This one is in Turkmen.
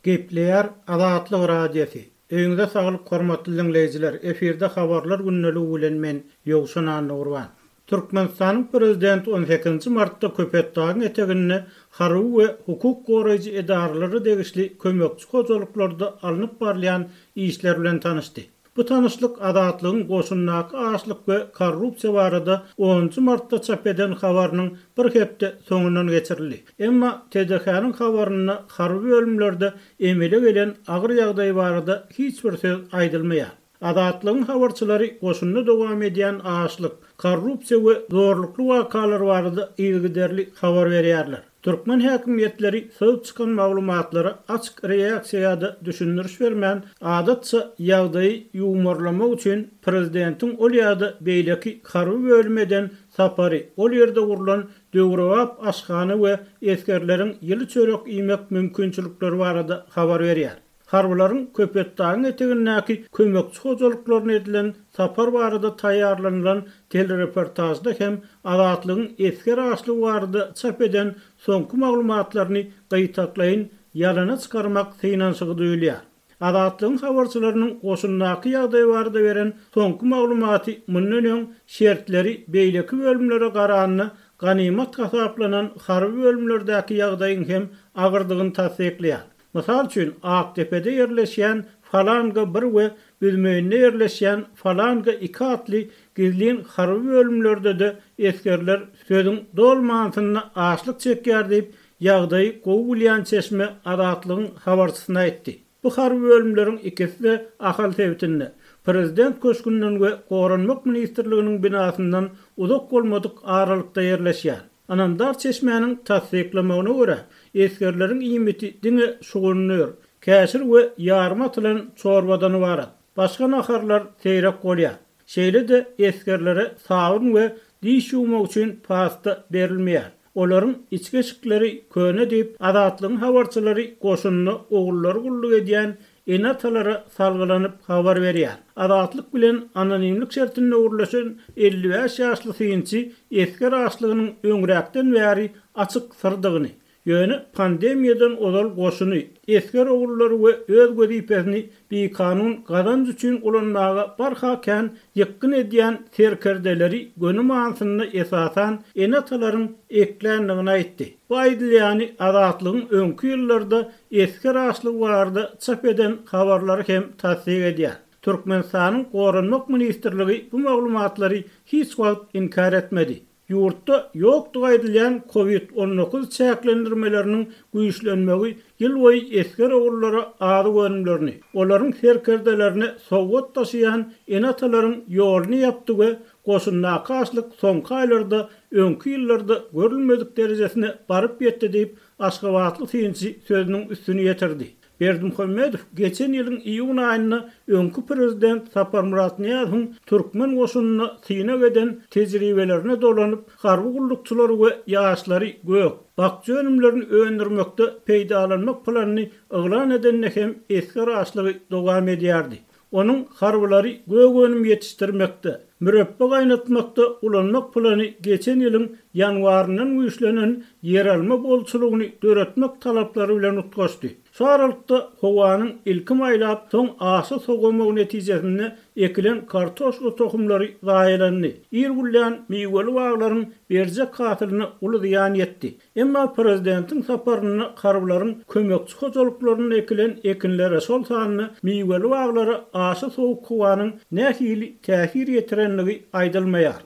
Gepleýär Azatlyk Radiosy, Öýüňize saglyk hormatly diňleýjiler, efirde Habarlar gündeligi bilen men Ýowşan Annagurban. Türkmenistanyň Prezidenti on sekizinji martda Köpetdagyň eteginde harby we hukuk goraýjy edaralara degişli kömekçi hojalyklarda alnyp barylýan işler bilen tanyşdy. Bu tanyşlyk Azatlygyň goşundaky açlyk we korrupsiýa barada onunjy martda çap eden habarynyň bir hepde soňundan geçirildi. Emma TDH-nyň habarynda harby bölümlerde emele gelen agyr ýagdaý barada hiç bir söz aýdylmaýar. Azatlygyň habarçylary goşunda dowam edýän açlyk, korrupsiýa we zorlukly wakalar barada yzygiderli habar berýärler. Türkmen häkimiýetleri syzyp çykan maglumatlara açyk reaksiýa ýa-da düşündiriş bermän, adatça ýagdaýy ýuwmarlamak üçin prezidentiň ol ýa-da beýleki harby bölüme eden sapary, ol ýerde gurlan döwrebap aşhana we esgerleriň ýyly çörek iýmek mümkinçilikleri barada habar berýär. Harbylaryň Köpetdagyň etegindäki kömekçi hojalyklaryna edilen sapar barada taýýarlanylan telereportažda hem Azatlygyň esger açlygy barada çap eden soňky maglumatlaryny gytaklaýyn ýalana çykarmak synanyşygy duýulýar. Azatlygyň habarçylarynyň goşundaky ýagdaý barada beren soňky maglumaty mundan öň şertleri beýleki bölümlere garanda ganymat hasaplanan harby bölümlerdäki ýagdaýyň hem agyrdygyny tassyklaýar. Mysal üçin, Akdepede ýerleşýän Falanga bir we Büzmeýinde ýerleşýän Falanga iki atly gizlin harby bölümlerde-de esgerler sözüň doly manysynda açlyk çekýär diýip, ýagdaýy gowy bilýän çeşme Azatlygyň habarçysyna aýtdy. Bu harby bölümleriň ikisi-de Ahal sebitinde, Prezident köşgünden we Goranmak ministrliginiň binasyndan uzak bolmadyk aralykda ýerleşýär. Ynamdar çeşmäniň tassyklamagyna görä, esgerleriň iýmiti diňe şugundyr, käşir we ýarma atylan çorbadan ybarat. Başga naharlar seýrek bolýar. Şeýle-de esgerlere sabyn we diş ýuwmak üçin pasta berilmeýär. Olaryň içki eşikleri köne diýip, Azatlygyň habarçylary goşunda ogullary gulluk edýän ene-atalara salgylanyp habar berýär. Azatlyk bilen anonimlik şertinde gürleşen 55 ýaşly synçy esger açlygynyň öňräkden bäri açyk syrdygyny, ýöne pandemiýadan ozal goşuny, esger ogullary we öz wezipesini bikanun gazanç üçin ulanmaga barha kän ýykgyn edýän serkerdeleri göni manysynda esasan ene-atalaryň ekländigini aýtdy. Bu aýdylýany Azatlygyň öňki ýyllarda esger açlygy barada çap eden habarlary hem tassyk edýär. Türkmenistanyň Goranmak ministrligi bu maglumatlary hiç wagt inkär etmedi. Ýurtda ýokdugy aýdylýan Covid 19 çäklendirmeleriniň güýçlenmegi ýylboýy esger ogullara azyk önümlerini, olaryň serkerdelerine sowgat daşaýan ene-atalaryň ýoluny ýapdy we goşundaky açlyk soňky aýlarda öňki ýyllarda görülmedik derejesine baryp ýetdi diýip, Aşgabatly synçy sözüniň üstüni ýetirdi. Berdimuhamedow geçen ýylyň iýun aýynda öňki prezident Saparmyrat Nyýazowyň türkmen goşunynda synag eden tejribelerine dolanyp, harby gullukçylary we ýaşlary gök, bakja önümlerini öndürmekde peýdalanmak planyny yglan edende hem esger açlygy dowam edýärdi. Onuň harbylary gök önüm ýetişdirmekde, mürepbe gaýnatmakda ulanmak plany geçen ýylyň ýanwaryndan güýçlenen ýeralma bolçulygyny döretmek talaplary bilen utgaşdy. Şu aralykda howanyň ilki maýlap, soň aşa sowamagy netijesinde ekilen kartoşka tohumlary zaýalandy. Ir güllän miweli baglaryň berjek hasylyna uly zyýan ýetdi. Emma prezidentiň saparynda harbylaryň kömekçi hojalyklarynda ekilen ekinlere, şol sanda miweli baglara aşa sowuk howanyň nähili täsir ýetirendigi aýdylmaýar.